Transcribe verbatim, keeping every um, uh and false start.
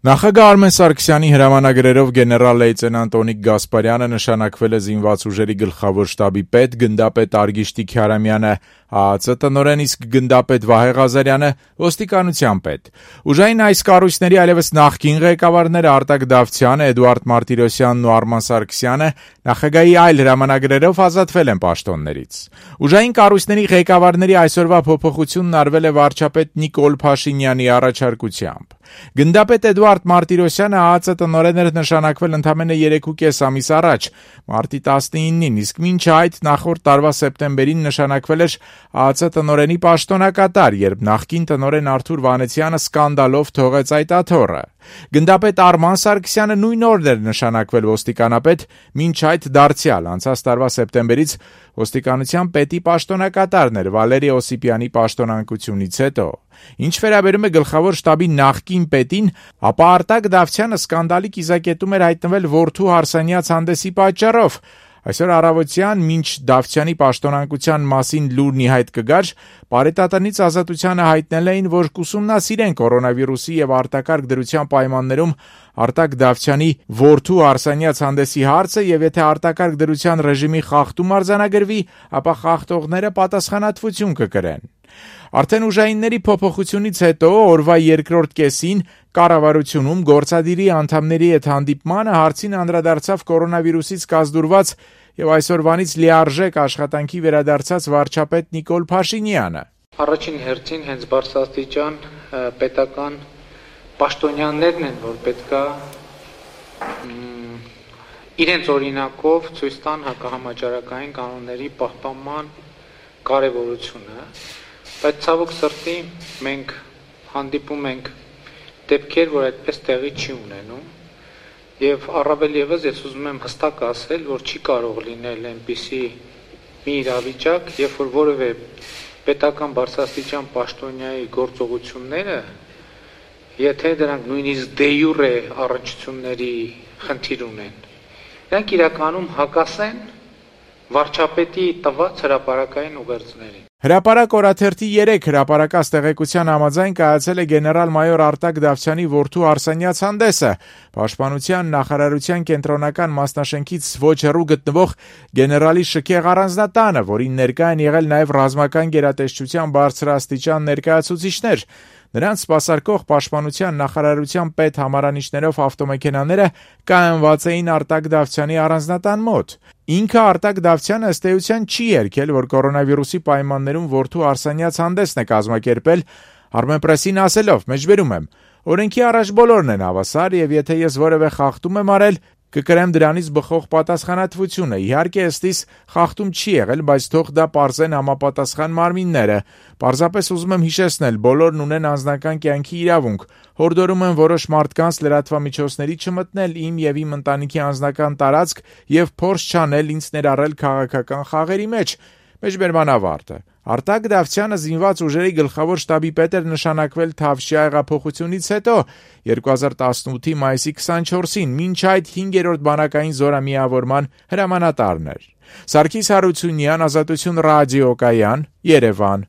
Նախագահ Արմեն Սարգսյանի հրամանագրերով գեներալ լեյտենանտ Օնիկ Գասպարյանը նշանակվել է զինված ուժերի գլխավոր շտաբի պետ, գնդապետ Արգիշտի Քյարամյանը ԱԱԾ տնօրեն, իսկ գնդապետ Վահե Ղազարյանը ոստիկանության պետ։ Ուժային այս կառույցների այլևս նախկին ղեկավարները Արտակ Դավթյանը, Էդուարդ Մարտիրոսյանն ու Արման Սարգսյանը նախագահի այլ հրամանագրերով ազատվել են պաշտոններից։ Ուժային կառույցների ղեկավարների այսօրվա փոփոխությունն արվել է վարչապետ Նիկոլ Փաշինյանի առաջարկությամբ։ Գնդապետ Էդուարդ Մարտիրոսյանը ԱԱԾ տնօրեն էր նշանակվել ընդամենը երեքուկես ամիս առաջ, մարտի տասնինին, իսկ մինչ այդ նախորդ տարվա սեպտեմբերին նշանակվել էր ԱԱԾ տնօրենի պաշտոնակատար, երբ նախկին տնօրեն Արթուր Վանեցյանը սկանդալով թողեց այդ աթոռը։ Գնդապետ Արման Սարգսյանը նույն օրն էր նշանակվել ոստիկանապետ, մինչ այդ դարձյալ անցած տարվա սեպտեմբերից ոստիկանության պետի պաշտոնակատարն էր Վալերի Օսիպյանի պաշտոնանկությունից հետո։ Ինչ վերաբերում է գլխավոր շտաբի նախկին պետին, ապա Արտակ Դավթյանը սկանդալի կիզակետում էր հայտնվել որդու հարսանյաց հանդեսի պատճառով։ Այսօր առավոտյան, մինչ Դավթյանի պաշտոնանկության մասին լուրն ի հայտ կգար, Պարետատնից Ազատությանը հայտնել էին, որ կուսումնասիրեն կորոնավիրուսի եւ արտակարգ դրության պայմաններում Արտակ Դավթյանի որդու հարսանյաց հանդեսի հարցը, եւ եթե արտակարգ դրության ռեժիմի խախտում արձանագրվի, ապա խախտողները պատասխանատվություն կկրեն։ Արդեն ուժայինների փոփոխությունից հետո օրվա երկրորդ կեսին կառավարությունում գործադիրի անդամների հետ հանդիպմանը հարցին անդրադարձավ կորոնավիրուսից կազդուրված եւ այսօրվանից լիարժեք աշխատանքի վերադարձած վարչապետ Նիկոլ Փաշինյանը։ Առաջին հերթին հենց բարձրաստիճան պետական պաշտոնյաներն են, որ պետքա իրենց օրինակով ցույց տան հակահամաճարակային կանոնների պահպանման կարևորությունը, բայց ցավոք սրտի մենք հանդիպում ենք դեպքեր, որ այդպես տեղի չի ունենում, եւ առավել եւս ես ուզում եմ հստակ ասել, որ չի կարող լինել այնպիսի մի իրավիճակ, երբ որ որևէ պետական բարձրաստիճան պաշտոնյայի գործողությունները, եթե դրանք նույնիսկ դե յուրե առնչությունների խնդիր ունեն, դրանք իրականում հակասեն վարչապետի տված հրապարակային ուղերձներին։ Հրապարակ օրաթերթի երեք հրապարակած տեղեկության համաձայն կայացել է գեներալ-մայոր Արտակ Դավթյանի որդու Արսենյաց հանդեսը, Պաշտպանության նախարարության կենտրոնական մասնաշենքից ոչ հեռու գտնվող գեներալի շքեղ առանձնատանը, որին ներկա են եղել նաև ռազմական գերատեսչության բարձրաստիճան ներկայացուցիչներ։ Նրանց սպասարկող Պաշտպանության նախարարության պետ համարանիշներով ավտոմեքենաները կայանված էին Արտակ Դավթյանի առանձնատան մոտ։ Ինքը Արտակ Դավթյանը ըստ էության չի երգել, որ կորոնավիրուսի պայմաններում որդու Արսենյաց հանդեսն է կազմակերպել, Armenpress-ին ասելով, մեջբերում եմ, օրենքի առաջ բոլորն են հավասար եւ եթե ես որևէ խախտում եմ արել, կկրեմ դրանից բխող պատասխանատվությունը։ Իհարկե, ըստիս խախտում չի եղել, բայց թող դա պարզեն համապատասխան մարմինները։ Պարզապես ուզում եմ հիշեցնել, բոլորն ունեն անձնական կյանքի իրավունք։ Հորդորում եմ որոշ մարդկանց լրատվամիջոցների չմտնել իմ եւ իմ ընտանիքի անձնական տարածք եւ փորձ չանել ինձ ներառել քաղաքական խաղերի մեջ։ Մեջբերման ավարտը։ Արտակ Դավթյանը զինված ուժերի գլխավոր շտաբի պետ էր նշանակվել Թավշյա հեղափոխությունից հետո երկու հազար տասնութի մայիսի քսանչորսին, մինչ այդ հինգերորդ բանակային զորամիավորման հրամանատարն էր։ Սարգիս Հարությունյան, Ազատություն ռադիոկայան, Երևան։